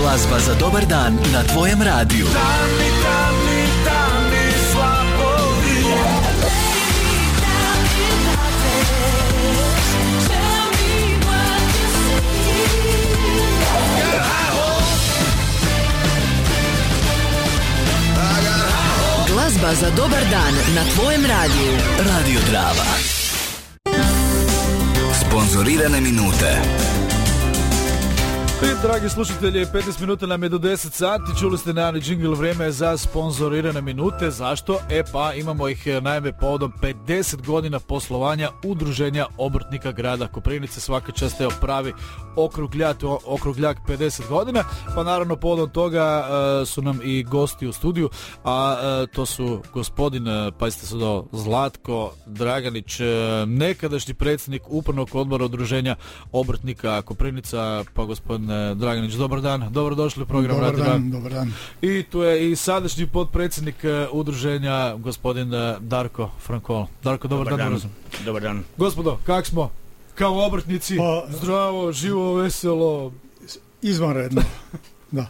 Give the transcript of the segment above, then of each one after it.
Glazba za dobar dan na tvojem radiju. Tamni slabovi. Glazba za dobar dan na tvojem radiju. Radio Drava. Sponzorirane minute. Dragi slušatelji, 15 minuta nam je do 10 sati, čuli ste najavni džingl, vrijeme za sponzorirane minute. Zašto? Pa imamo ih naime povodom 50 godina poslovanja Udruženja obrtnika grada Koprivnice. Svaka čast, evo pravi okrugljak 50 godina, pa naravno povodom toga su nam i gosti u studiju, a to su gospodin, pazite se do Zlatko Draganić, nekadašnji predsjednik upravnog odbora Udruženja obrtnika Koprivnica, pa gospodin Draganić, dobar dan, dobrodošli u program Radio Drava. Dobar dan. I tu je i sadašnji potpredsjednik udruženja, gospodin Darko Frankol. Darko, dobar dan. Dobar dan. Gospodo, kak smo? Kao obrtnici, zdravo, živo, veselo. Izvanredno. Da.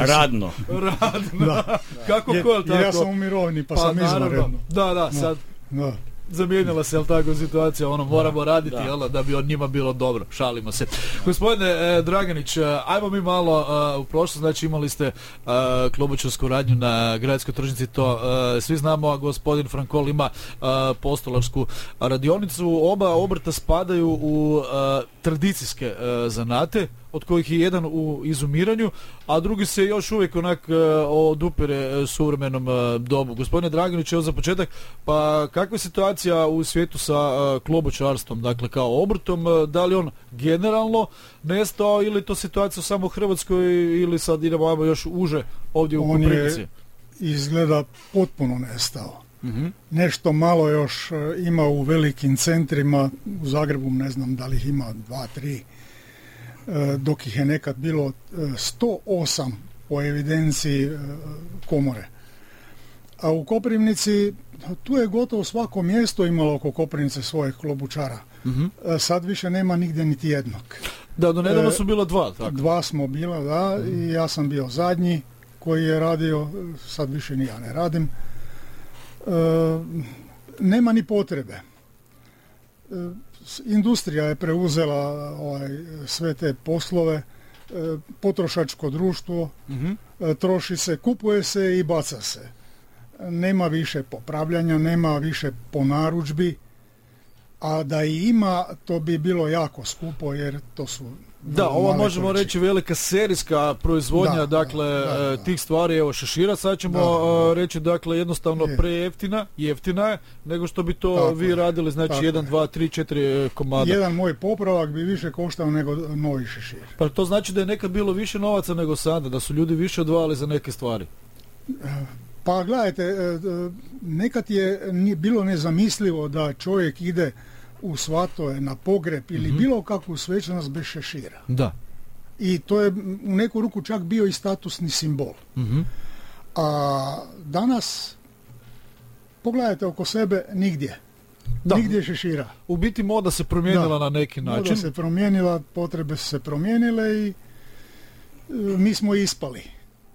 Radno. Da. Kako ko, tako? Ja sam u mirovini, pa sam izvanredno. Da, sad. Da. Zamijenila se, jel tako, situacija, moramo raditi, jel, da bi od njima bilo dobro, šalimo se. Gospodine Draganić, ajmo mi malo u prošlost, znači imali ste klobučarsku radnju na gradskoj tržnici, to svi znamo, a gospodin Frankol ima postolarsku radionicu. Oba obrta spadaju u tradicijske zanate, od kojih je jedan u izumiranju, a drugi se još uvijek onak odupire suvremenom dobu. Gospodine Draganić, evo za početak, pa kakva je situacija u svijetu sa klobučarstvom, dakle kao obrtom, da li on generalno nestao ili to situacija samo u Hrvatskoj ili sad idemo još uže ovdje u Koprivnici? On je izgleda potpuno nestao. Uh-huh. Nešto malo još ima u velikim centrima, u Zagrebu ne znam da li ih ima 2-3, dok ih je nekad bilo 108 po evidenciji komore. A u Koprivnici, tu je gotovo svako mjesto imalo oko Koprivnice svojeg klobučara. Uh-huh. Sad više nema nigdje niti jednog. Da, do nedavno su bila dva. Tako. Dva smo bila, da, i ja sam bio zadnji koji je radio, sad više ni ja ne radim. Nema ni potrebe. Industrija je preuzela sve te poslove, potrošačko društvo, troši se, kupuje se i baca se. Nema više popravljanja, nema više ponarudžbi, a da i ima, to bi bilo jako skupo, jer to su... Da, ovo možemo reći velika serijska proizvodnja, tih stvari, evo šešira, sad ćemo reći, dakle, jednostavno prejeftina, jeftina je, nego što bi to tako vi radili, znači 1, 2, 3, 4 komada. Jedan moj popravak bi više koštao nego novi šešir. Pa to znači da je nekad bilo više novaca nego sada, da su ljudi više odvajali za neke stvari. Pa gledajte, nekad je bilo nezamislivo da čovjek ide u svatove, na pogreb ili bilo kakvu svečanost bez šešira. Da. I to je u neku ruku čak bio i statusni simbol. A danas, pogledajte oko sebe, nigdje. Da. Nigdje šešira. U biti moda se promijenila na neki način. Moda se promijenila, potrebe su se promijenile i mi smo ispali.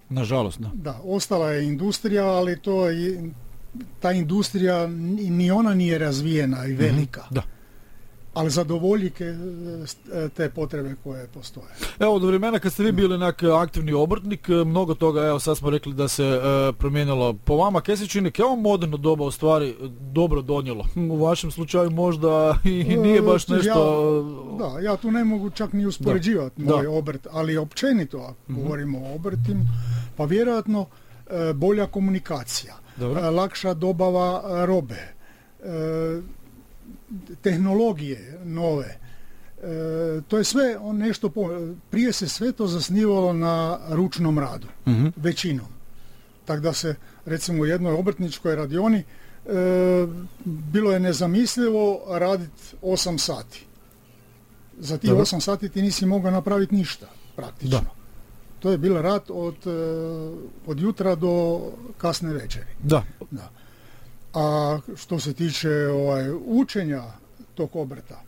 Nažalost, da. Da, ostala je industrija, ali ta industrija ni ona nije razvijena i velika. Da. Ali zadovolji te potrebe koje postoje. Evo, do vremena kad ste vi bili aktivni obrtnik, mnogo toga, evo sad smo rekli da se promijenilo. Po vama, kaj se čini, kao moderno doba u stvari dobro donijelo? U vašem slučaju možda i nije baš nešto... Ja tu ne mogu čak ni uspoređivati moj obrt, ali općenito, ako govorimo o obrtima, pa vjerojatno bolja komunikacija, lakša dobava robe, tehnologije nove, to je sve nešto, prije se sve to zasnivalo na ručnom radu, većinom. Tako da se, recimo u jednoj obrtničkoj radioni bilo je nezamislivo raditi 8 sati. Za tih 8 sati ti nisi mogao napraviti ništa, praktično. Da. To je bio rad od jutra do kasne večeri. Da. A što se tiče učenja tog obrta,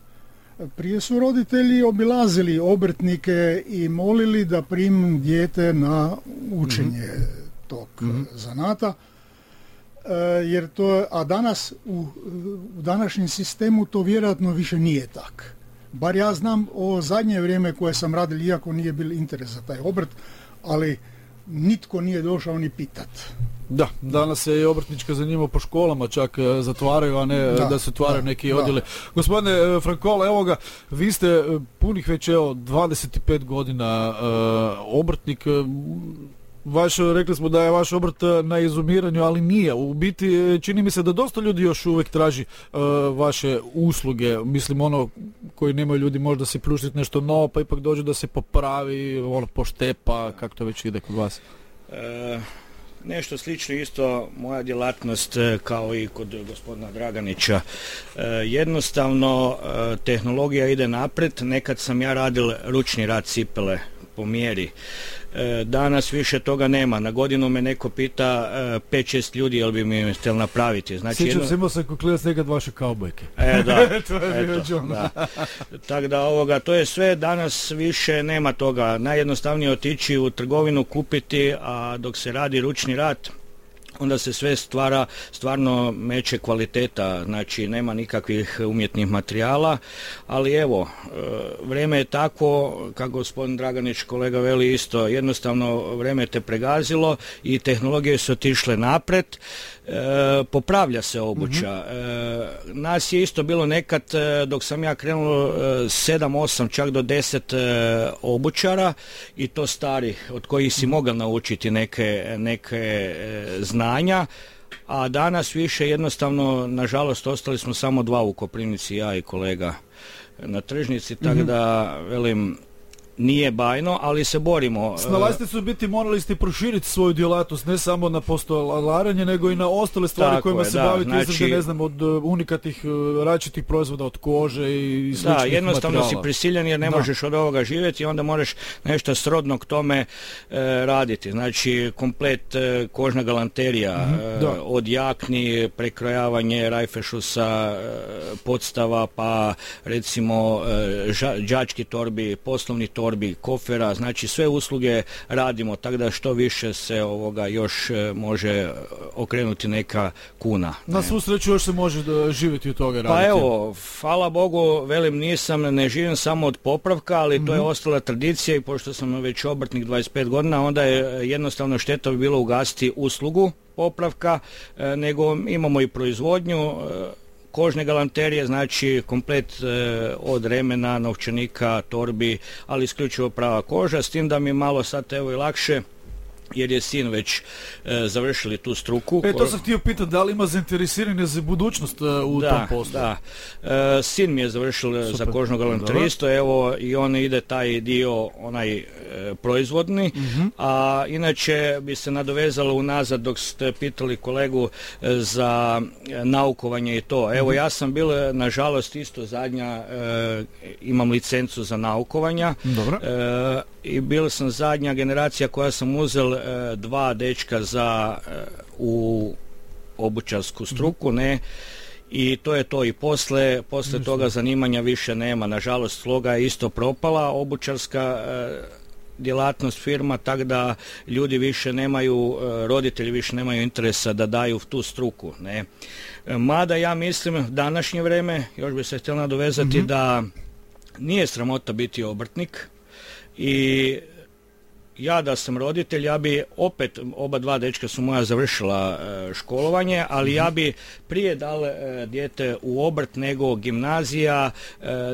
Prije su roditelji obilazili obrtnike i molili da primu dijete na učenje tog zanata, jer to, a danas u današnjem sistemu to vjerojatno više nije tako. Bar ja znam o zadnje vrijeme koje sam radil, iako nije bil interes za taj obrt, ali nitko nije došao ni pitat. Da, danas se i obrtnička zanima po školama čak zatvaraju, a ne da se otvaraju neki odjeli. Gospodine Frankola, evo ga, vi ste punih već 25 godina obrtnik. Rekli smo da je vaš obrt na izumiranju, ali nije. U biti čini mi se da dosta ljudi još uvijek traži vaše usluge. Mislim, koji nemaju ljudi možda se priuštiti nešto novo, pa ipak dođe da se popravi, poštepa, kako to već ide kod vas? Nešto slično isto moja djelatnost kao i kod gospodina Draganića. Jednostavno tehnologija ide naprijed. Nekad sam ja radil ručni rad cipele po mjeri. Danas više toga nema. Na godinu me neko pita 5-6 ljudi jel bi mi htjeli napraviti. Znači, sjećam se, imao sam kuklirac nekad vaše kaubojke. Da. To je da. Tako da to je sve, danas više nema toga. Najjednostavnije otići u trgovinu kupiti, a dok se radi ručni rad, onda se sve stvarno meće kvaliteta, znači nema nikakvih umjetnih materijala, ali evo, vrijeme je tako, kako gospodin Draganić kolega veli isto, jednostavno vrijeme te pregazilo i tehnologije su otišle napred, popravlja se obuća. Nas je isto bilo nekad, dok sam ja krenuo 7-8, čak do 10 obućara i to starih, od kojih si mogao naučiti neke znanja, a danas više jednostavno, nažalost, ostali smo samo 2 u Koprivnici, ja i kolega na tržnici, tako da, velim, nije bajno, ali se borimo. Snalazite se u biti, morali ste proširiti svoju djelatnost, ne samo na postolaranje, nego i na ostale stvari kojima se bavite, znači, ne znam, od unikatnih različitih proizvoda, od kože i sličnih materijala. Da, jednostavno si prisiljen jer ne možeš od ovoga živjeti i onda moraš nešto srodno k tome raditi. Znači, komplet kožna galanterija, od jakni, prekrojavanje rajfešusa, podstava, pa recimo đački torbi, poslovni torbi, kofera, znači sve usluge radimo, tako da što više se još može okrenuti neka kuna. Na svu sreću još se može živjeti od toga raditi. Pa evo, hvala Bogu, velim, ne živim samo od popravka, ali to je ostala tradicija i pošto sam već obrtnik 25 godina, onda je jednostavno šteta bi bilo ugasiti uslugu popravka, nego imamo i proizvodnju kožne galanterije, znači komplet od remena, novčanika, torbi, ali isključivo prava koža, s tim da mi je malo sad evo i lakše, jer je sin već završili tu struku. To sam htio pitati, da li ima zainteresiranje za budućnost u tom poslu? Da, sin mi je završil za kožno galanteristo, evo i on ide taj dio, onaj proizvodni, a inače bi se nadovezalo unazad dok ste pitali kolegu za naukovanje i to. Evo ja sam bil, nažalost, isto zadnja, imam licencu za naukovanja. Dobro. I bil sam zadnja generacija koja sam uzel 2 dečka u obućarsku struku, ne, i to je to. I posle toga zanimanja više nema. Nažalost, sloga je isto propala, obućarska djelatnost firma, tako da ljudi više nemaju, roditelji više nemaju interesa da daju tu struku, ne. Mada ja mislim, današnje vrijeme, još bi se htjela nadovezati da nije sramota biti obrtnik i ja da sam roditelj, ja bi opet, oba 2 dečka su moja završila školovanje, ali ja bi prije dal dijete u obrt nego gimnazija.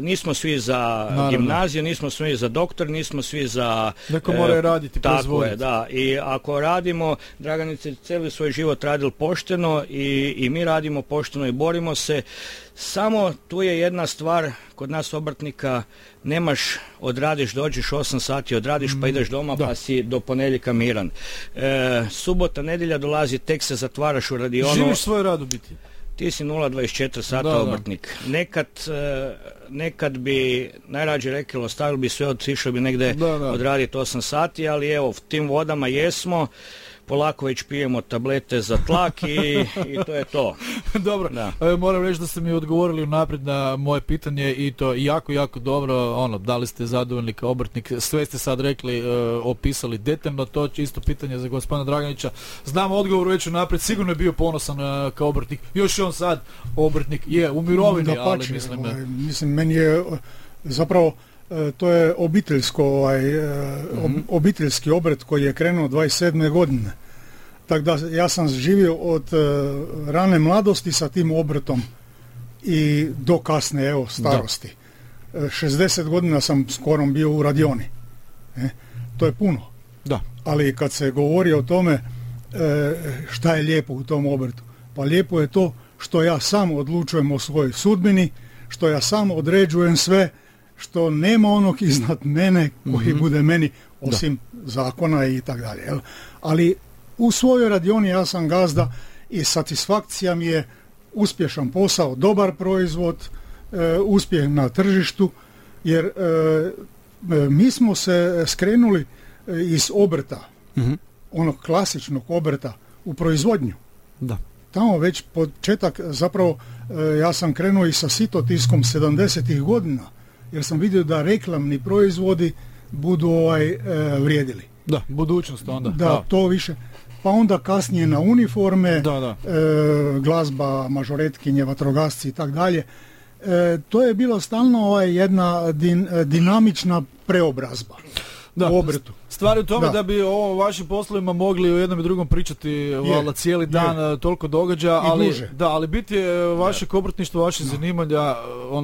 Nismo svi za gimnaziju, nismo svi za doktor, nismo svi za... Neko mora raditi, tako je, da. I ako radimo, Draganić je cijeli svoj život radil pošteno i mi radimo pošteno i borimo se. Samo tu je jedna stvar, kod nas obrtnika nemaš, odradiš, dođeš 8 sati, odradiš pa ideš doma pa si do ponedjeljka miran. Subota, nedjelja dolazi, tek se zatvaraš u radionu. Živiš svoj rad u biti? Ti si 0,24 sata obrtnik. Nekad bi najrađe rekli, ostavili bi sve, otišli bi negdje odraditi 8 sati, ali evo, v tim vodama jesmo. polako već pijemo tablete za tlak i to je to. Dobro, moram reći da ste mi odgovorili unaprijed na moje pitanje i to jako, jako dobro, da li ste zadovoljni kao obrtnik, sve ste sad rekli, opisali detaljno, to je isto pitanje za gospodina Draganića. Znam odgovor već unaprijed, sigurno je bio ponosan kao obrtnik, još je on sad obrtnik, je u mirovini, ali mislim, meni je zapravo to je obiteljski obrt koji je krenuo 27. godine. Tako da ja sam živio od rane mladosti sa tim obrtom i do kasne starosti. 60 godina sam skoro bio u radioni. To je puno. Da. Ali kad se govori o tome šta je lijepo u tom obrtu, pa lijepo je to što ja sam odlučujem o svojoj sudbini, što ja sam određujem sve, što nema onog iznad mene koji bude meni osim zakona i tako dalje. Ali u svojoj radioni ja sam gazda i satisfakcija mi je uspješan posao, dobar proizvod, uspjeh na tržištu, jer mi smo se skrenuli iz obrta, onog klasičnog obrta u proizvodnju. Da. Tamo već početak, zapravo ja sam krenuo i sa sitotiskom 70-ih godina, jer sam vidio da reklamni proizvodi budu vrijedili. Da, budućnost onda. Da, to više. Pa onda kasnije na uniforme, glazba, mažoretkinje, vatrogasci i tako dalje. To je bilo stalno jedna dinamična preobrazba u obrtu. Stvar je u tome da bi o vašim poslovima mogli u jednom i drugom pričati cijeli dan, toliko događa, ali bit je vašeg obrtništva, vaše zanimanja,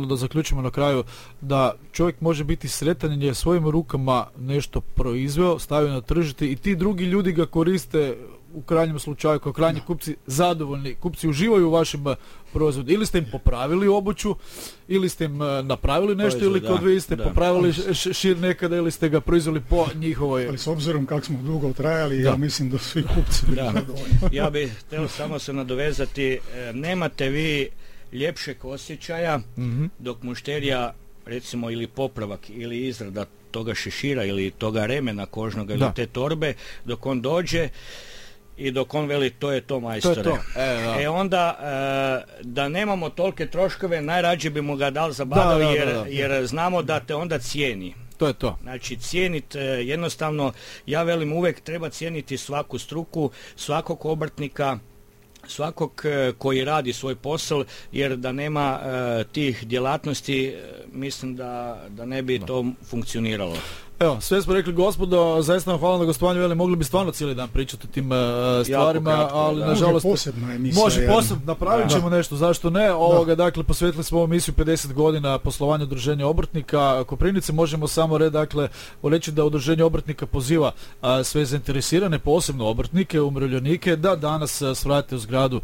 da zaključimo na kraju, da čovjek može biti sretan jer je svojim rukama nešto proizveo, stavio na tržište i ti drugi ljudi ga koriste u krajnjem slučaju kao krajnji kupci, zadovoljni kupci uživaju u vašim proizvodu. Ili ste im popravili obuću, ili ste im napravili nešto, ili kod vi ste popravili šir nekada, ili ste ga proizveli po njihovoj. Ali s obzirom kako smo dugo trajali, ja mislim da svi kupci bili zadovoljni. Ja bih htio samo se nadovezati, nemate vi ljepšeg osjećaja dok mušterija, recimo, ili popravak ili izrada toga šešira ili toga remena kožnoga ili te torbe, dok on dođe i dok on veli to je to, majstore. To je to. Onda da nemamo tolike troškove, najrađe bi mu ga dali zabavili jer znamo da te onda cijeni. To je to. Znači cijeniti jednostavno, ja velim uvijek treba cijeniti svaku struku, svakog obrtnika, svakog koji radi svoj posao, jer da nema tih djelatnosti mislim da ne bi to funkcioniralo. Evo, sve smo rekli, gospodo, zaista vam hvala na gostovanju, veli, mogli bi stvarno cijeli dan pričati o tim stvarima, ali nažalost može posebno, napravit ćemo nešto, zašto ne, dakle, posvetili smo ovu emisiju 50 godina poslovanja udruženja obrtnika Koprivnice, možemo samo reći da udruženje obrtnika poziva sve zainteresirane, posebno obrtnike, umirovljenike, da danas svrate u zgradu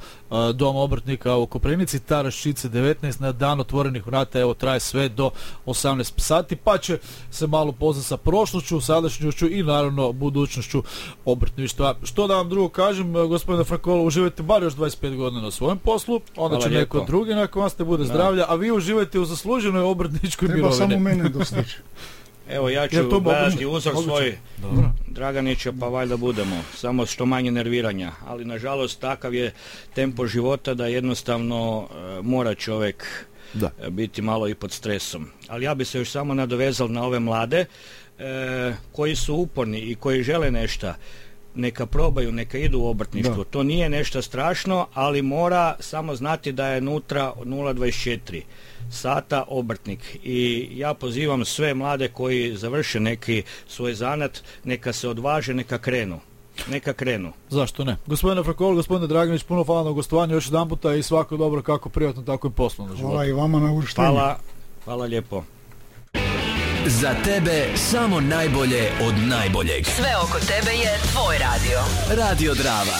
Doma obrtnika u Koprivnici, Taraščice 19, na dan otvorenih vrata, evo, traje sve do 18 sati, pa će se malo poznati sa prošlošću, sadašnjošću i naravno budućnošću obrtništva. Što da vam drugo kažem, gospodine Frankolo, uživajte bar još 25 godina na svojem poslu, onda će neko drugi nakon vas te bude zdravlja, a vi uživajte u zasluženoj obrtničkoj mirovini. Treba samo mene dostići. Evo, ja ću gledati uzor svoj Draganića, pa valjda budemo, samo što manje nerviranja, ali nažalost takav je tempo života da jednostavno mora čovjek biti malo i pod stresom. Ali ja bi se još samo nadovezal na ove mlade koji su uporni i koji žele nešto, neka probaju, neka idu u obrtništvo. To nije nešto strašno, ali mora samo znati da je unutra 0,24 sata obrtnik. I ja pozivam sve mlade koji završe neki svoj zanat, neka se odvaže, neka krenu. Zašto ne? Gospodine Frankolo, gospodine Draganić, puno hvala na gostovanju još jedan puta i svako dobro kako privatno, tako i poslovno životu. Hvala i vama na uvrštenju. Hvala lijepo. Za tebe samo najbolje od najboljeg. Sve oko tebe je tvoj radio. Radio Drava.